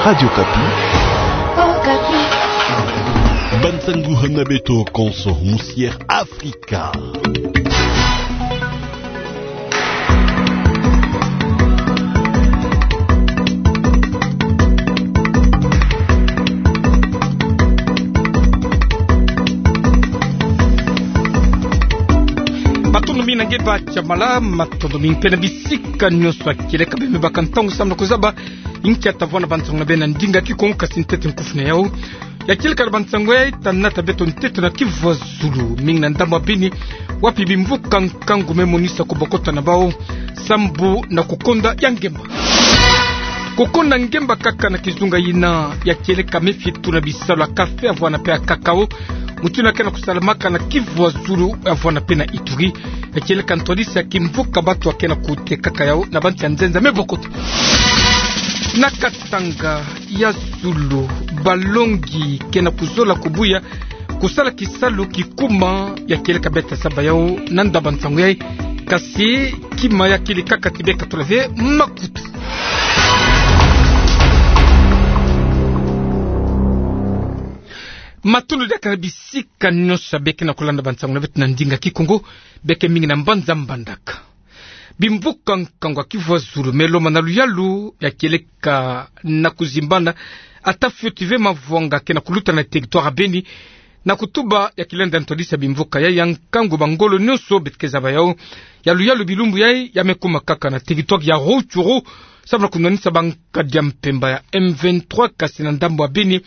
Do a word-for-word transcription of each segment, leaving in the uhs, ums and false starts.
Radio Okapi. Okapi. Bansangu hana beto konso musière Afrika. Matondo mingi na nge ba Jamala, matondo mingi mpe na bisika nyonso ya kieleka beno me baka ntangu samu na kozaba inkia ta vwanda bansangu na beno na ndinga Kikongo, kasi ntete nkufi na yau ya kieleka na bansangu yai, ta nata beto ntete na Kivu ya Zulu, mingi na ndambu ya Beni, wapi bimvuka nkangu me monisa kobokota na bau sambu na kokonda ya ngemba. Kokonda ngemba kaka na kizunga yina ya kieleka me fie tuna bisalu ya kafe, ya vwanda mpe ya kakao, mutindu ya ke na kosalamaka na Kivu ya Zulu, ya vwanda mpe na Ituri, ya kieleka ntwadisi ya kimvuka, bantu ya ke na kotekaka yau na bansi ya nzenza me bokota. Na Katanga ya Zulu, balongi ke na kozola kobuya kosala kisalu kikuma ya kieleka, beta saba yau na ndambu ya nsangu yai, kasi kima ya kili kaka ti beka tula ve makutu. Matondo diaka na bisika nyonso ya beke na kolanda bansangu na beto na ndinga Kikongo, beke mingi na mbanza Mbandaka. Bimvuka nkangu ya Kivu ya Zulu me lomba na luyalu ya kieleka na kozimbana, ata fioti ve mavwanga ke na koluta na territoire ya Beni, na kotuba ya kilenda ntwadisi ya bimvuka yai ya nkangu, bangolo nyonso beto ke zaba yau ya luyalu bilumbu yai ya me kuma kaka na territoire ya Rutshuru, samu na konwanisa bankadi ya mpemba ya M vingt-trois, kasi na ndambu ya Beni,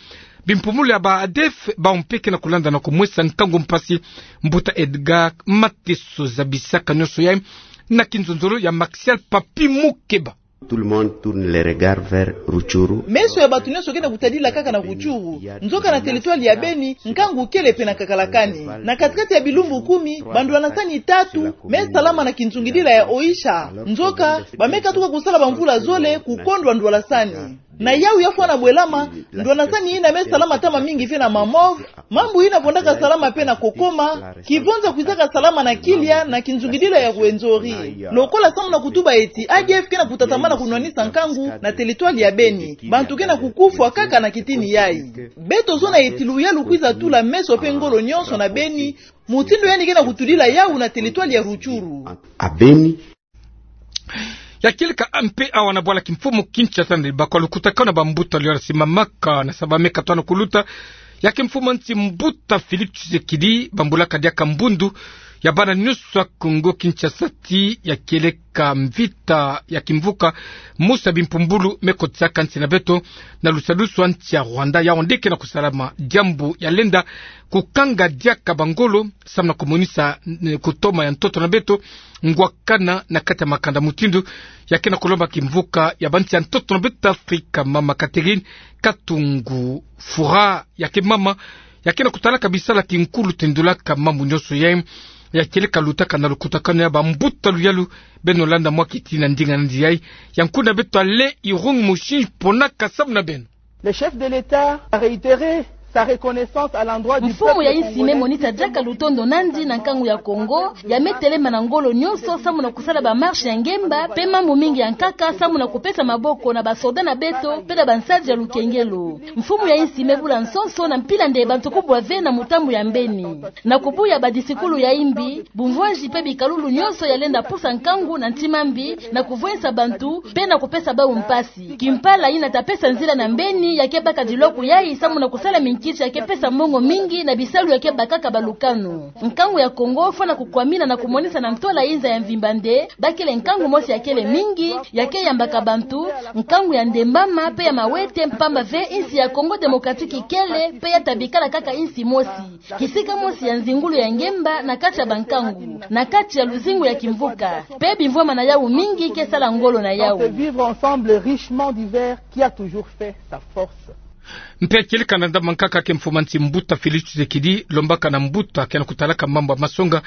bimpumbulu ya ba A D F, bau mpe ke na kolanda na komwesa nkangu mpasi. Mbuta Edgar Mateso zabisaka nyonso yai na kinzonzolo ya Maxial Papi Mukeba. Tout le monde tourne les regards vers Rutshuru. Meso ya bato nyonso ke na kotadila kaka na Rutshuru. Nzoka na territoire ya Beni, nkangu kele mpe na kakalakani. Na kati-kati ya bilumbu kumi, bandwanasani tatu me salama na kinzungidila ya Oicha. Nzoka, ba me katuka kosala bamvula zole kokondwa ndwanasani. Na yau ya fwana bwelama, ndwanasani yina me salama ntama mingi ve na Mamove, mambu yina fondaka salama mpe na Kokoma, kivonza kwizaka salama na Kilia na kinzungidila ya Rwenzori. Lokola samu na kotuba eti A D F ke na kotatamana konwanisa nkangu na territoire ya Beni, bantu ke na kokufwa kaka na kitini yai. Beto zona eti luyalu kwiza tula meso mpe ngolo nyonso na Beni, mutindu yandi ke na kotudila yau na territoire ya Rutshuru. À Beni. Ya kieleka mpe awa na bwala kimfumu Kinshasa, na libaku ya lukutakanu na bambuta luyalu ya simamaka na saba me katuka na koluta ya kimfumu ya nsi, mbuta Félix Tshisekedi, bambulaka diaka mbundu ya bana nyonso ya Kongo Kinshasa ti ya kieleka mvita ya kimvuka, mosi ya bimpumbulu me kotisaka nsi na beto na lusadusu ya nsi ya Rwanda, yau nde ke na kosalama, diambu ya lenda kokanga diaka bangolo samu na komonisa, eh, kotoma ya ntoto na beto ngwakana na kati ya makanda mutindu ya ke na kolomba kimvuka ya bansi ya ntoto na beto Afrika, mama Catherine Katungu Fura, ya ke mama ya ke na kotalaka bisalu ya kinkulu tendulaka mambu nyonso yai. Ya kieleka lutaka na lukutakanu ya bambuta luyalu, beno landa mwa kiti na ndinga nandi yai. Ya nkuna beto Alain Irung Moshi ponaka samu na beno. Le chef de l'État a réitéré sa reconnaissance à l'endroit du peuple congolais. Mfumu ya insi me monisa diaka lutondo nandi na nkangu ya Kongo, ya me telema na ngolo nyonso samu na kosala ba marche ya ngemba mpe mambu mingi ya nkaka samu na kopesa maboko na basoda na beto mpe na bansadi ya lukengelo. Mfumu ya insi me bula nsonso na mpila nde bantu kubwa ve na mutambu ya mbeni. Na kobuya badisikulu ya imbi, bumvwazi mpe bikalulu nyonso ya lenda pusa nkangu na ntima mbi, na kovwesa bantu mpe na kopesa bau mpasi. Kimpala yina ta pesa nzila na mbeni ya ke baka diloko yai samu na kosala minkisi ya ke pesa mbongo mingi na bisalu ya ke bakaka balukanu. Nkangu ya Kongo fwana kokwamina na komonisa na ntwala inza ya mvimba nde ba kele nkangu mosi ya kele mingi, ya ke yambaka bantu, nkangu ya ndembama mpe ya mawete, mpamba ve insi ya Congo Démocratique kele mpe ya ta bikala kaka insi mosi, kisika mosi ya nzingulu ya ngemba na kati ya bankangu, na kati ya luzingu ya kimvuka, mpe bimvwama na yau mingi ke sala ngolo na yau. Dans ce vivre ensemble richement divers qui a toujours fait sa force. Mpe ya kieleka na ndambu ya nkaka ke mfumu ya nsi, mbuta Félix Tshisekedi, lombaka na mbuta ke na kotalaka mambu ya masonga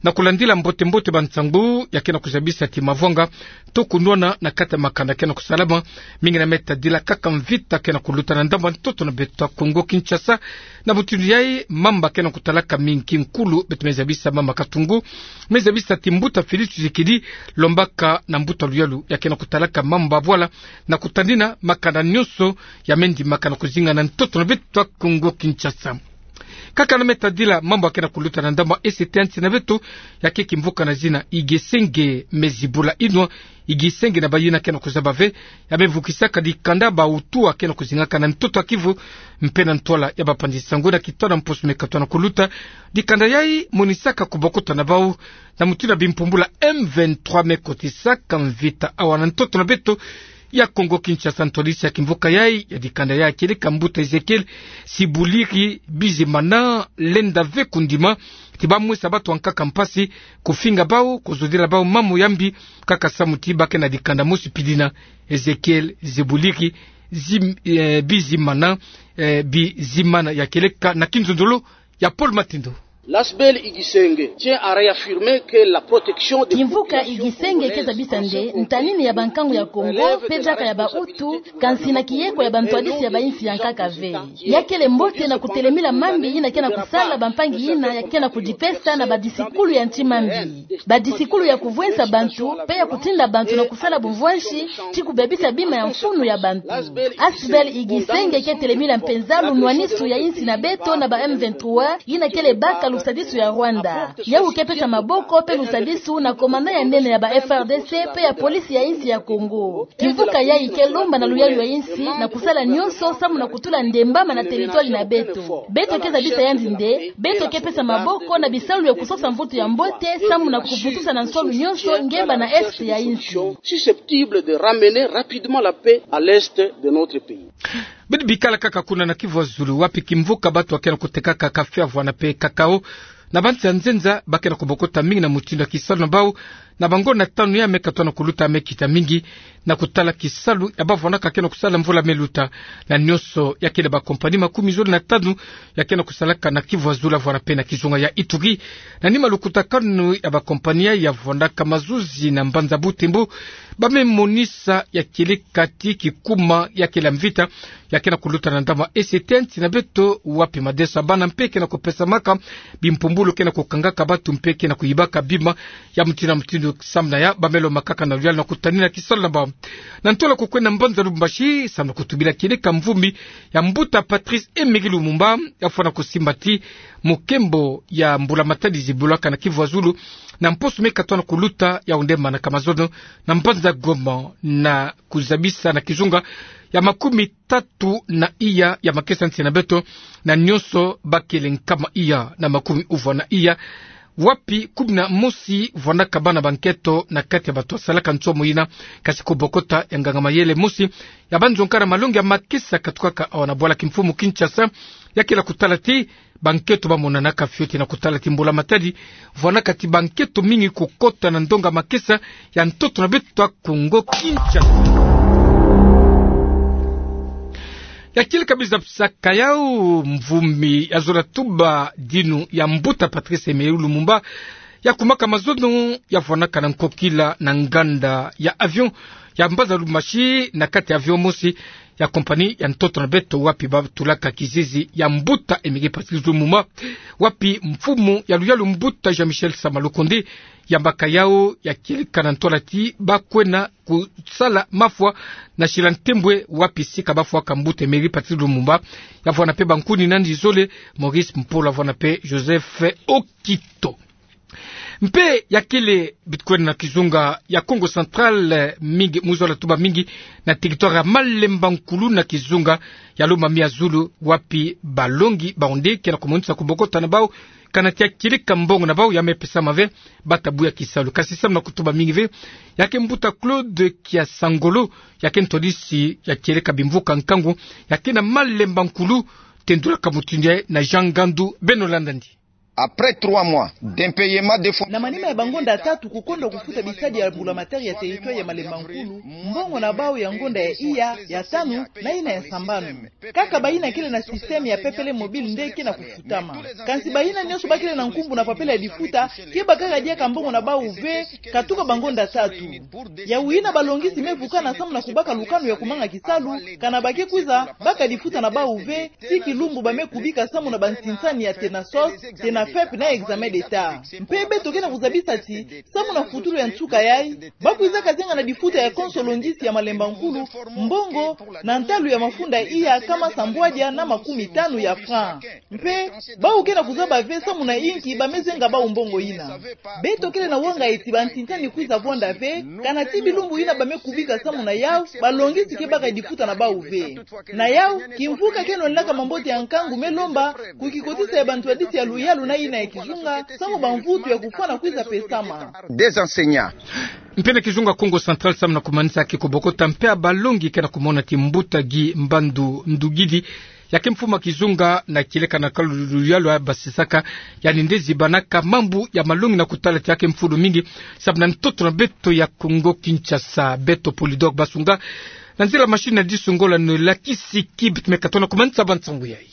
Na kulandila mbote-mbote bansangu ya ke na kuzabisa ti mavwanga to kunwana na kati ya makanda ke na kusalama, mingi na me tadila kaka mvita ke na kuluta na ndambu ya ntoto na beto ya Kongo Kinshasa. Na mutindu yayi, mamba ke na kutalaka mingi kinkulu, beto me zabisa mamba Katungu, me zabisa ti mbuta Félix Tshisekedi lombaka na mbuta luyalu ya ke na kutalaka mamba bwala na kutadina makanda nyonso ya me ndimaka na kuzinga na ntoto na beto ya Kongo Kinshasa. Kaka na me tadila mambu ya ke na kuluta na ndambu ya E C T ya nsi na beto, ya ke kimvuka na zina Igisenge me zibula inwa. Igisenge na bayina ke na kuzaba ve, ya me vukisaka dikanda ba Hutu ya ke na kuzingaka na ntoto ya Kivu mpe na ntwala ya bapanzi nsangu. Na kitona mposo me katwa na kuluta, dikanda yayi monisaka kubokota na bau na mutindu ya bimpumbulu ya M vingt-trois me kotisaka mvita awa na ntoto na beto ya Kongo Kinshasa. Ntwadisi ya kimvuka yayi ya dikanda yayi, kieleka mbuta Ezekiel Sibuliri Bizimana, lenda ve kundima ti ba mwesa bato bankaka mpasi, kufinga bau, kuzodila bau mamu ya mbi, kaka samu ti ba ke na dikanda mosi pidina. Ezekiel Sibuliri Zim-, eh, Bizimana, eh, Bizimana, ya kieleka na kinzonzolo ya Paul Matindo. L'A S B L Igisenge tient à réaffirmer que la protection des populations congolaises en ce Congo relève strictement de la compétence de l'État. Kimvuka Igisenge ke zabisa nde ntanini ya bankangu ya Kongo mpe diaka ya ba Hutu, kansi na kiyeko ya bantwadisi ya bainsi ya nkaka ve. Ya kele mbote na kutelemila mambi yina ke na kusala bampangi yina ya ke na kudipesa na badisikulu ya nti mambi, badisikulu ya kuvwensa bantu mpe ya kutinda bantu na kusala bumvwansi ti kubebisa bima ya mfunu ya bantu. A S B L Igisenge ke telemila mpenza lunwanisu ya insi na beto na ba M vingt-trois, yina kele baka lusadisu ya Rwanda. Yawu ke pesa maboko mpe lusadisu na komanda ya nene ya ba F R D C mpe ya polisi ya insi ya Kongo. Kimvuka yayi ke lomba na luyalu ya insi na kusala nyonso samu na kutula ndembama na teritwari na beto. Beto ke zabisa yandi nde beto ke pesa maboko na bisalu ya kusosa mvutu ya mbote samu na kuvutusa na nswalu nyonso ngemba na est ya insi. Susceptibles de ramener rapidement la paix à l'est de notre pays. Beto bikala kaka kuna na Kivu ya Zulu, wapi kimvuka bato ya ke na kutekaka kafe ya vwanda mpe kakao na bansi ya nzenza ba ke na kubokota mingi na mutindu ya kisalu na bau na bangonda tanu ya me katwa na kuluta, me kita mingi na kutala kisalu ya ba vwandaka ke na kusala mvula me luta. Na nyonso, ya kele bakompani makumi zole na tanu ya ke na kusalaka na Kivu ya Zulu, vwanda mpe na kizunga ya Ituri. Na nima lukutakanu ya bakompani ya vwandaka mazuzi na mbanza Butembo, ba me monisa ya kieleka ti kikuma ya kele mvita ya ke na kuluta na ndambu ya E C T ya nsi na beto, wapi madeso ya bana mpe ke na kupesamaka, bimpumbulu ke na kukangaka bato mpe ke na kuyibaka bima ya mutindu na mutindu. Samu na ya, ba me lomba kaka na luyalu na kutadina kisalu na bau. Na ntwala kukwenda na mbanza Lubumbashi samu na kutubila kieleka mvumbi ya mbuta Patrice Emery Lumumba, ya fwana kusimba ti mokembo ya mbula-matadi zibulaka na Kivu ya Zulu na mposo me katwa na kuluta, ya onde manaka mazono na mbanza Goma, na kuzabisa na kizunga ya makumi tatu na iya ya makesa nsi na beto, na nyonso ba kele nkama iya na makumi uvwa na iya, wapi kumi na mosi vwandaka bana banketo na kati ya bato ya salaka nsomo yina, kasi kubokota ya nganga-mayele mosi ya banzonga na malongi ya makesa katukaka awa na bwala kimfumu Kinshasa, ya kele kutala ti banketo ba monanaka fioti na kutala ti mbula-matadi vwandaka ti banketo mingi kukota na ndonga makesa ya ntoto na beto ya Kongo Kinshasa. Ya kieleka biza pisaka yau, mvumbi ya zola tuba dinu ya mbuta Patrice Emery Lumumba, ya kumaka mazono, ya vwandaka na nkokila na nganda ya avion ya mbanza Lubumbashi, na kati ya avion mosi ya kompani ya ntoto na beto, wapi ba tulaka kizizi ya mbuta Emery Patrice Lumumba, wapi mfumu ya luyalu mbuta Jean-Michel Sama Lukonde, yambaka yau ya kieleka na ntwala ti ba kwenda kusala mafwa na Sila Ntembwe, wapi sika ba fwaka mbuta Emery Patrice Lumumba. Ya vwanda mpe bankuni na yandi zole, Maurice Mpolo, ya vwanda mpe Joseph Okito. Mpe ya kele bitu kwenda na kizunga ya Kongo Central, eh, mingi, mu zola tuba mingi na territoire ya Malemba Nkulu na kizunga ya Lomami ya Zulu, wapi balongi bawu nde ke na kumonisa kubokota na bawu, kana ti ya kieleka mbongo na bawu ya me pesama ve, ba ta buya kisalu. Kasi samu na kutuba mingi ve, ya ke mbuta Claude Kiasangolo, ya ke ntwadisi ya kieleka bimvuka nkangu, ya ke na Malemba Nkulu, tendulaka mutindu yayi na Jean Ngandu. Beno landa yandi. après trois mois d'impayement des fonds. Na manima ya bangonda tatu kukondwa kufuta bisadi ya bula matari ya territoire ya Malemba Nkulu, mbongo na bau ya ngonda ya iya, ya tanu, na ina ya sambanu. Kaka bayina kele na système ya pepele mobile nde ke na kufutama. Kansi bayina nyonso bakele na nkumbu na papela ya difuta, ke bakaka diaka mbongo na bau ve, katuka bangonda tatu. Yawu yina balongisi me vukana samu na kubaka lukanu ya kumanga kisalu, kana ba ke kwiza baka difuta na bau ve, tii kilumbu ba me kubika samu na bansinsani ya TENASOS, TENAFEP na examen d'État. Mpe beto ke na kuzabisa ti, samu na futulu ya nsuka yayi, ba kwiza kazenga na difuta ya konso longisi ya Malemba Nkulu, mbongo, na ntalu ya mafunda iya kama sambwadia na makumi tanu ya franc. Mpe, bau ke na kuzaba ve samu na inki ba me zenga bau mbongo yina. Beto kele na wanga eti bansinsani kwiza vwanda ve, kana tii bilumbu yina ba me kubika samu na yawu, balongisi ke baka difuta na bau ve. Na yawu, kimvuka keno naka mambote ya nkangu me lomba, ku kikotisa ya bantu ya disi ya luyalu na ina ya kizunga, samu bamvutu ya kufwana kwiza pesama. Des enseignants. Mpe na kizunga Kongo Central samu na kumanisa ki kubokota mpe ya balongi ke na kumona ti mbuta Guy Mbandu Ndugidi, ya ke mfumu a kizunga na kieleka na kalu luyalu ya basisaka, yandi nde zibanaka mambu ya malongi na kutala ti ya ke mfulu mingi, samu na ntoto na beto ya Kongo Kinshasa, beto Polydor Basunga, na nzila machine ya disungola no lakisi ki beto me katona kumanisa bansangu yayi.